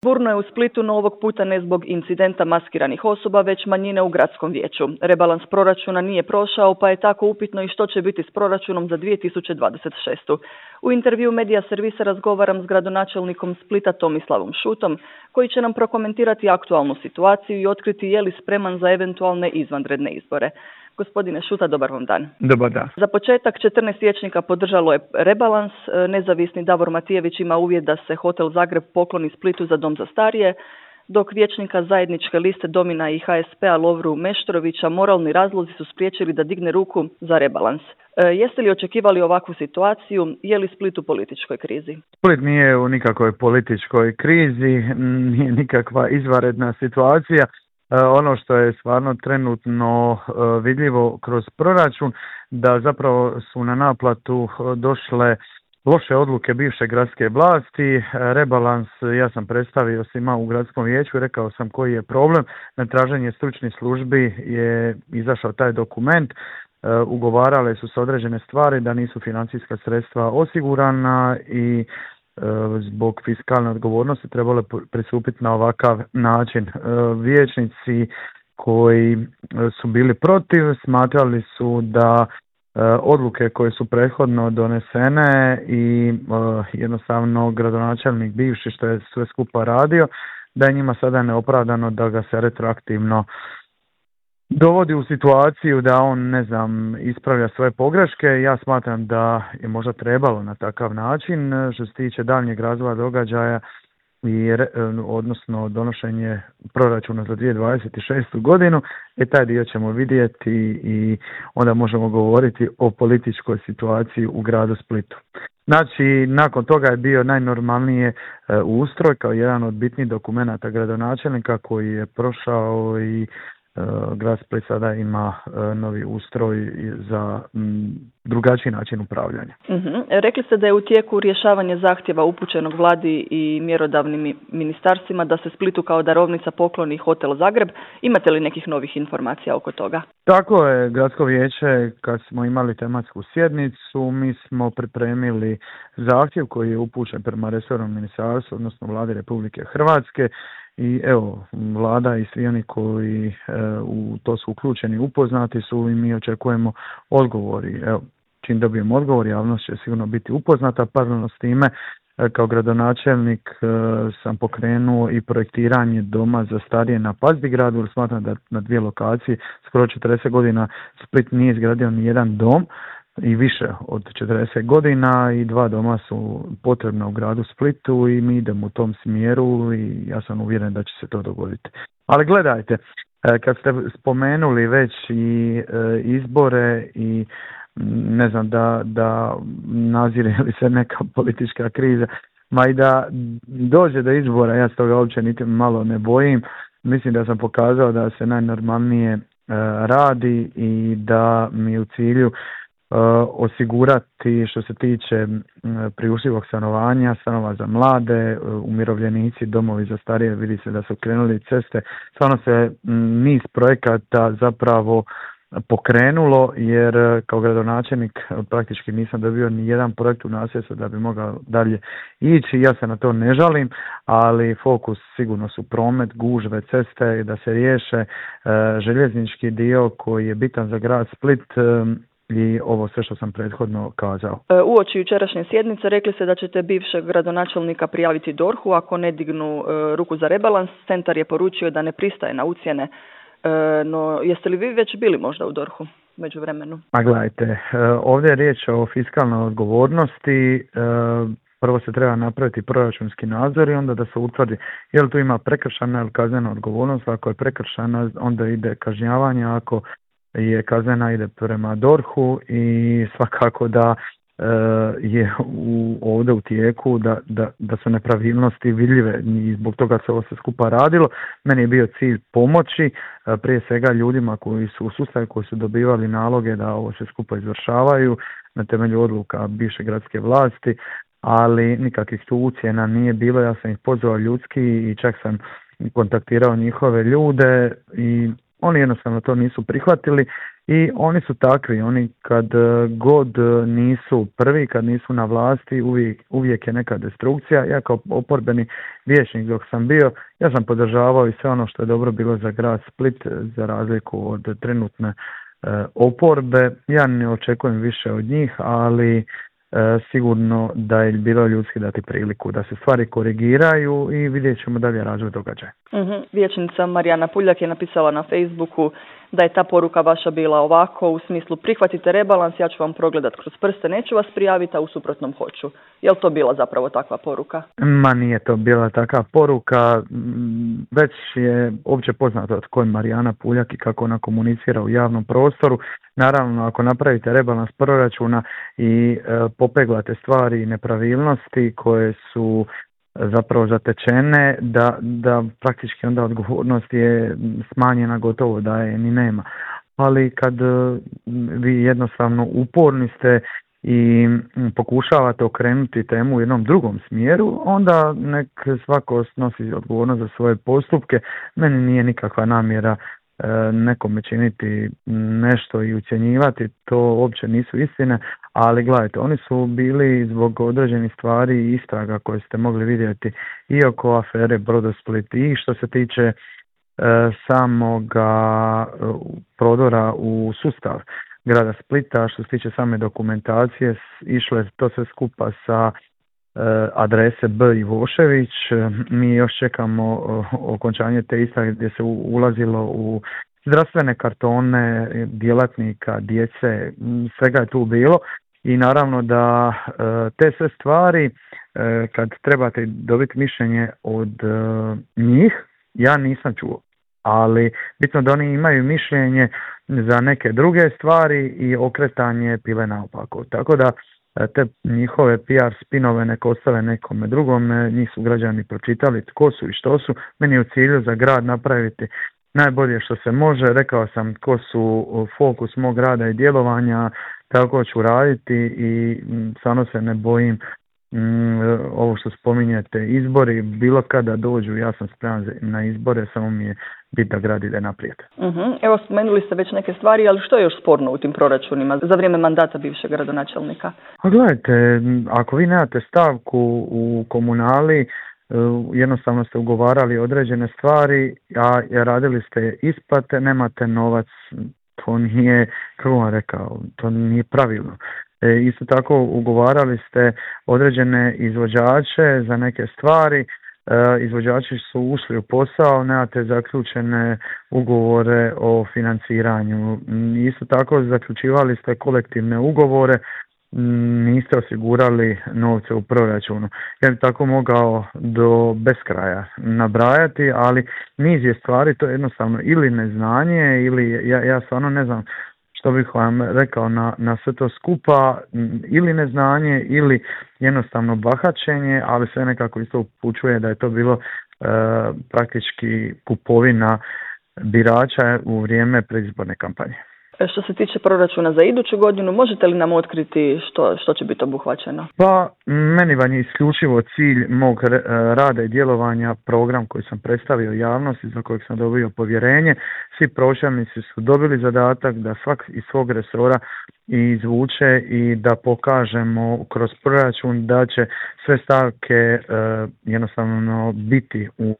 Burno je u Splitu, no ovog puta ne zbog incidenta maskiranih osoba, već manjine u gradskom vijeću. Rebalans proračuna nije prošao, pa je tako upitno i što će biti s proračunom za 2026. U intervju Medija Servisa razgovaram s gradonačelnikom Splita Tomislavom Šutom, koji će nam prokomentirati aktualnu situaciju i otkriti je li spreman za eventualne izvanredne izbore. Gospodine Šuta, dobar vam dan. Dobar dan. Za početak 14 vijećnika podržalo je rebalans. Nezavisni Davor Matijević ima uvjet da se Hotel Zagreb pokloni Splitu za dom za starije, dok vijećnika zajedničke liste Domina i HSP-a Lovru Meštrovića moralni razlozi su spriječili da digne ruku za rebalans. Jeste li očekivali ovakvu situaciju? Je li Split u političkoj krizi? Split nije u nikakvoj političkoj krizi, nije nikakva izvanredna situacija. Ono što je stvarno trenutno vidljivo kroz proračun, da zapravo su na naplatu došle loše odluke bivše gradske vlasti. Rebalans ja sam predstavio svima u gradskom vijeću, rekao sam koji je problem. Na traženje stručnih službi je izašao taj dokument. Ugovarale su se određene stvari da nisu financijska sredstva osigurana i zbog fiskalne odgovornosti trebalo pristupiti na ovakav način. Vijećnici koji su bili protiv smatrali su da odluke koje su prethodno donesene i jednostavno gradonačelnik bivši što je sve skupa radio, da je njima sada neopravdano da ga se retroaktivno dovodi u situaciju da on, ispravlja svoje pogreške. Ja smatram da je možda trebalo na takav način. Što se tiče daljnjeg razvoja događaja i odnosno donošenje proračuna za 2026. godinu, taj dio ćemo vidjeti i onda možemo govoriti o političkoj situaciji u gradu Splitu. Znači, nakon toga je bio najnormalnije ustroj kao jedan od bitnih dokumenata gradonačelnika koji je prošao i grad Split sada ima novi ustroj za drugačiji način upravljanja. Rekli ste da je u tijeku rješavanje zahtjeva upućenog vladi i mjerodavnim ministarstvima da se Splitu kao darovnica pokloni Hotel Zagreb. Imate li nekih novih informacija oko toga? Tako je, gradsko vijeće kad smo imali tematsku sjednicu, mi smo pripremili zahtjev koji je upućen prema resornom ministarstvu, odnosno vladi Republike Hrvatske. I evo, vlada i svi oni koji u to su uključeni, upoznati su i mi očekujemo odgovori. Evo, čim dobijemo odgovor, javnost će sigurno biti upoznata. Paralelno s time, kao gradonačelnik sam pokrenuo i projektiranje doma za starije na Pazdigradu, jer smatram da na dvije lokacije skoro 40 godina Split nije izgradio ni jedan dom i više od 40 godina i 2 doma su potrebna u gradu Splitu i mi idemo u tom smjeru i ja sam uvjeren da će se to dogoditi. Ali gledajte, kad ste spomenuli već i izbore i da nazire li se neka politička kriza, ma i da dođe do izbora, ja s toga uopće niti malo ne bojim. Mislim da sam pokazao da se najnormalnije radi i da mi u cilju osigurati što se tiče priuštivog stanovanja, stanova za mlade, umirovljenici, domovi za starije, vidi se da su krenuli ceste. Stvarno se niz projekata zapravo pokrenulo, jer kao gradonačelnik praktički nisam dobio ni jedan projekt u nasljedstvo da bi mogao dalje ići. Ja se na to ne žalim, ali fokus sigurno su promet, gužve, ceste, da se riješe željeznički dio koji je bitan za grad Split i ovo sve što sam prethodno kazao. Uoči jučerašnje sjednice rekli ste da ćete bivšeg gradonačelnika prijaviti DORH-u ako ne dignu ruku za rebalans. Centar je poručio da ne pristaje na ucjene. No, jeste li vi već bili možda u DORH-u među vremenu? A gledajte, ovdje je riječ o fiskalnoj odgovornosti. Prvo se treba napraviti proračunski nadzor i onda da se utvrdi je li tu ima prekršajna ili kaznena odgovornost. Ako je prekršajna, onda ide kažnjavanje, ako je kaznena ide prema DORH-u i svakako da je ovdje u tijeku da su nepravilnosti vidljive i zbog toga se ovo sve skupa radilo. Meni je bio cilj pomoći prije svega ljudima koji su u sustavu, koji su dobivali naloge da ovo sve skupa izvršavaju na temelju odluka bivše gradske vlasti, ali nikakvih tu ucjena nije bilo. Ja sam ih pozvao ljudski i čak sam kontaktirao njihove ljude i oni jednostavno to nisu prihvatili i oni su takvi, oni kad god nisu prvi, kad nisu na vlasti, uvijek je neka destrukcija. Ja kao oporbeni vijećnik dok sam bio, ja sam podržavao i sve ono što je dobro bilo za grad Split, za razliku od trenutne oporbe. Ja ne očekujem više od njih, ali sigurno da je bilo ljudski dati priliku da se stvari korigiraju i vidjet ćemo dalje razvoj događaja. Vijećnica Marijana Puljak je napisala na Facebooku da je ta poruka vaša bila ovako, u smislu prihvatite rebalans, ja ću vam progledat kroz prste, neću vas prijaviti, a u suprotnom hoću. Je li to bila zapravo takva poruka? Ma nije to bila takva poruka, već je opće poznato tko je Marijana Puljak i kako ona komunicira u javnom prostoru. Naravno, ako napravite rebalans proračuna i popeglate stvari i nepravilnosti koje su zapravo zatečene, da praktički onda odgovornost je smanjena, gotovo da je ni nema. Ali kad vi jednostavno uporni ste i pokušavate okrenuti temu u jednom drugom smjeru, onda nek svako snosi odgovornost za svoje postupke. Meni nije nikakva namjera nekome činiti nešto i ucjenjivati, to uopće nisu istine, ali gledajte, oni su bili zbog određenih stvari i istraga koje ste mogli vidjeti i oko afere Brodosplit i što se tiče samoga prodora u sustav grada Splita, što se tiče same dokumentacije, išlo je to sve skupa sa adrese B. Ivošević. Mi još čekamo okončanje te istrage gdje se ulazilo u zdravstvene kartone djelatnika, djece, svega je tu bilo i naravno da te sve stvari kad trebate dobiti mišljenje od njih, ja nisam čuo, ali bitno da oni imaju mišljenje za neke druge stvari i okretanje pile naopako. Tako da te njihove PR spinove nek ostave nekome drugome, njih su građani pročitali tko su i što su. Meni je u cilju za grad napraviti najbolje što se može, rekao sam tko su fokus mog rada i djelovanja, tako ću raditi i stvarno se ne bojim ovo što spominjete, izbori, bilo kada dođu, ja sam spreman na izbore, samo mi je bit da grad ide naprijed. Evo, spomenuli ste već neke stvari, ali što je još sporno u tim proračunima za vrijeme mandata bivšeg gradonačelnika? A gledajte, ako vi nemate stavku u komunali, jednostavno ste ugovarali određene stvari, a radili ste isplate, nemate novac, to nije, kako vam rekao, to nije pravilno. Isto tako ugovarali ste određene izvođače za neke stvari, izvođači su ušli u posao, nemate zaključene ugovore o financiranju. Isto tako zaključivali ste kolektivne ugovore, niste osigurali novce u proračunu. Ja bi tako mogao do beskraja nabrajati, ali niz je stvari, to je jednostavno ili neznanje, ili ja stvarno ne znam što bih vam rekao na sve to skupa, ili neznanje ili jednostavno bahaćenje, ali sve nekako isto upućuje da je to bilo praktički kupovina birača u vrijeme predizborne kampanje. Što se tiče proračuna za iduću godinu, možete li nam otkriti što će biti obuhvaćeno? Pa, meni vam je isključivo cilj mog rada i djelovanja program koji sam predstavio javnosti, za kojeg sam dobio povjerenje. Svi pročelnici su dobili zadatak da svak iz svog resora izvuče i da pokažemo kroz proračun da će sve stavke jednostavno biti u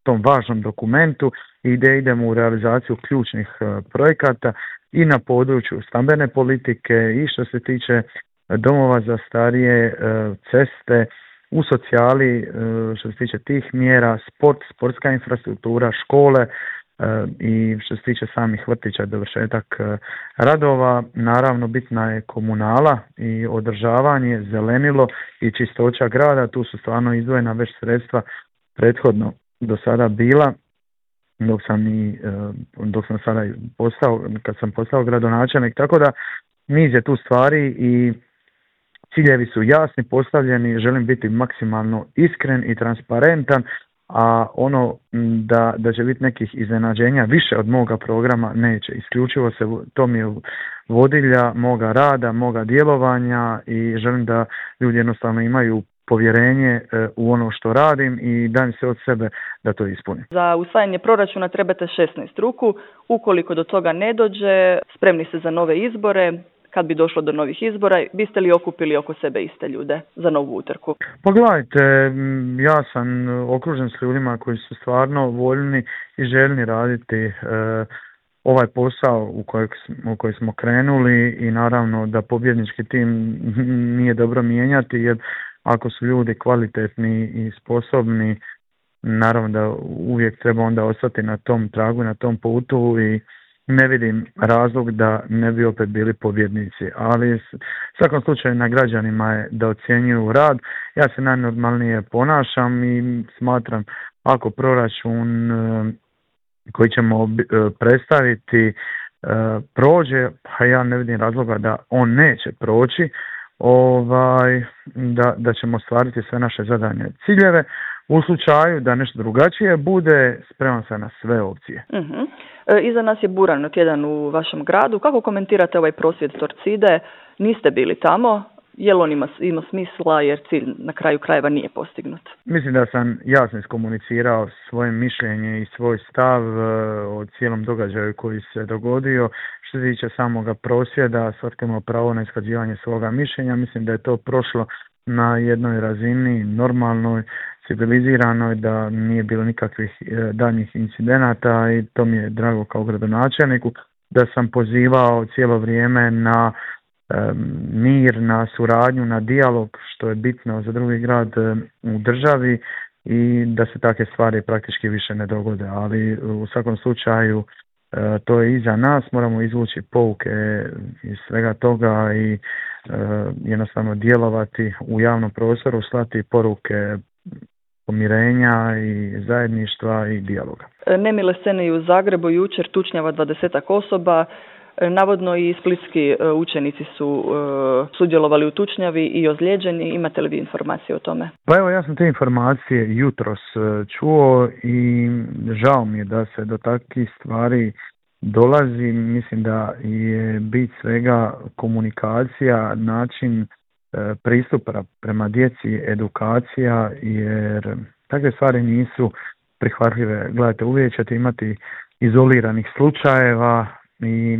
tom važnom dokumentu i da idemo u realizaciju ključnih projekata i na području stambene politike i što se tiče domova za starije, ceste, u socijali što se tiče tih mjera, sportska infrastruktura, škole i što se tiče samih vrtića, dovršetak radova. Naravno bitna je komunala i održavanje, zelenilo i čistoća grada, tu su stvarno izdvojena već sredstva prethodno do sada bila, dok sam sada kad sam postao gradonačelnik, tako da niz je tu stvari i ciljevi su jasni, postavljeni, želim biti maksimalno iskren i transparentan, a ono da će biti nekih iznenađenja više od moga programa neće. Isključivo to mi je vodilja moga rada, moga djelovanja i želim da ljudi jednostavno imaju povjerenje u ono što radim i dajem se od sebe da to ispunim. Za usvajanje proračuna trebate 16 ruku. Ukoliko do toga ne dođe, spremni ste za nove izbore. Kad bi došlo do novih izbora, biste li okupili oko sebe iste ljude za novu utrku? Pa gledajte, ja sam okružen s ljudima koji su stvarno voljni i željni raditi ovaj posao u koji smo krenuli i naravno da pobjednički tim nije dobro mijenjati, jer ako su ljudi kvalitetni i sposobni, naravno da uvijek treba onda ostati na tom tragu, na tom putu i ne vidim razlog da ne bi opet bili pobjednici, ali u svakom slučaju na građanima je da ocjenjuju rad. Ja se najnormalnije ponašam i smatram ako proračun koji ćemo predstaviti prođe, pa ja ne vidim razloga da on neće proći, da ćemo ostvariti sve naše zadane ciljeve. U slučaju da nešto drugačije bude, spreman sam na sve opcije. Iza nas je buran tjedan u vašem gradu. Kako komentirate ovaj prosvjed Torcide? Niste bili tamo. Je li on ima smisla jer cilj na kraju krajeva nije postignut? Mislim da sam jasno iskomunicirao svoje mišljenje i svoj stav o cijelom događaju koji se dogodio. Što se tiče samoga prosvjeda, svatko ima pravo na iskazivanje svoga mišljenja. Mislim da je to prošlo na jednoj razini normalnoj, civiliziranoj, da nije bilo nikakvih daljnjih incidenata i to mi je drago kao gradonačelniku, da sam pozivao cijelo vrijeme na mir, na suradnju, na dijalog, što je bitno za drugi grad u državi i da se takve stvari praktički više ne dogode, ali u svakom slučaju to je iza nas, moramo izvući pouke iz svega toga i jednostavno djelovati u javnom prostoru, slati poruke pomirenja i zajedništva i dijaloga. Nemile scene i u Zagrebu jučer, tučnjava 20-ak osoba. Navodno i splitski učenici su sudjelovali u tučnjavi i ozlijeđeni. Imate li vi informacije o tome? Pa evo, ja sam te informacije jutros čuo i žao mi je da se do takvih stvari dolazi. Mislim da je bit svega komunikacija, način pristupa prema djeci, edukacija, jer takve stvari nisu prihvatljive. Gledajte, uvijek ćete imati izoliranih slučajeva i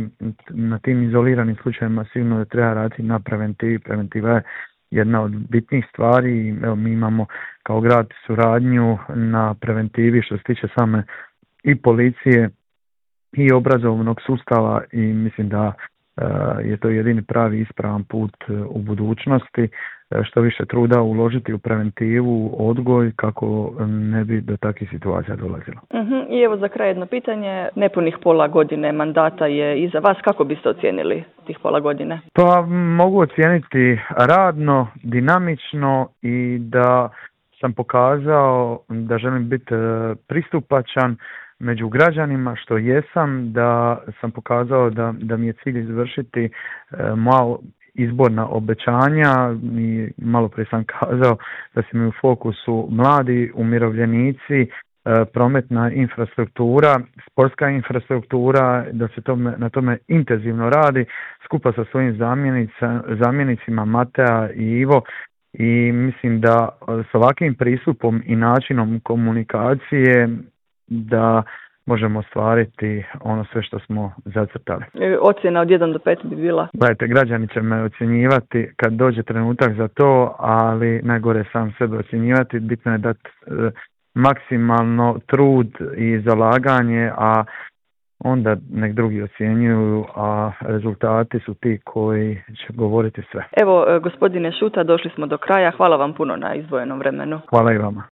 na tim izoliranim slučajevima sigurno da treba raditi na preventivi. Preventiva je jedna od bitnih stvari. Evo, mi imamo kao grad suradnju na preventivi što se tiče same i policije i obrazovnog sustava i mislim da je to jedini pravi ispravan put u budućnosti, što više truda uložiti u preventivu, odgoj, kako ne bi do takvih situacija dolazilo. I evo za kraj jedno pitanje, nepunih pola godine mandata je iza vas, kako biste ocijenili tih pola godine? Pa mogu ocijeniti radno, dinamično i da sam pokazao da želim biti pristupačan među građanima, što jesam, da sam pokazao da mi je cilj izvršiti moja izborna obećanja i malo prije sam kazao da su mi u fokusu mladi, umirovljenici, prometna infrastruktura, sportska infrastruktura, da se na tome intenzivno radi skupa sa svojim zamjenicima Matea i Ivo i mislim da s ovakvim pristupom i načinom komunikacije da možemo ostvariti ono sve što smo zacrtali. Ocjena od 1 do 5 bi bila? Gledajte, građani će me ocjenjivati kad dođe trenutak za to, ali najgore sam sebe ocjenjivati. Bitno je dati maksimalno trud i zalaganje, a onda nek drugi ocjenjuju, a rezultati su ti koji će govoriti sve. Evo, gospodine Šuta, došli smo do kraja. Hvala vam puno na izdvojenom vremenu. Hvala i vama.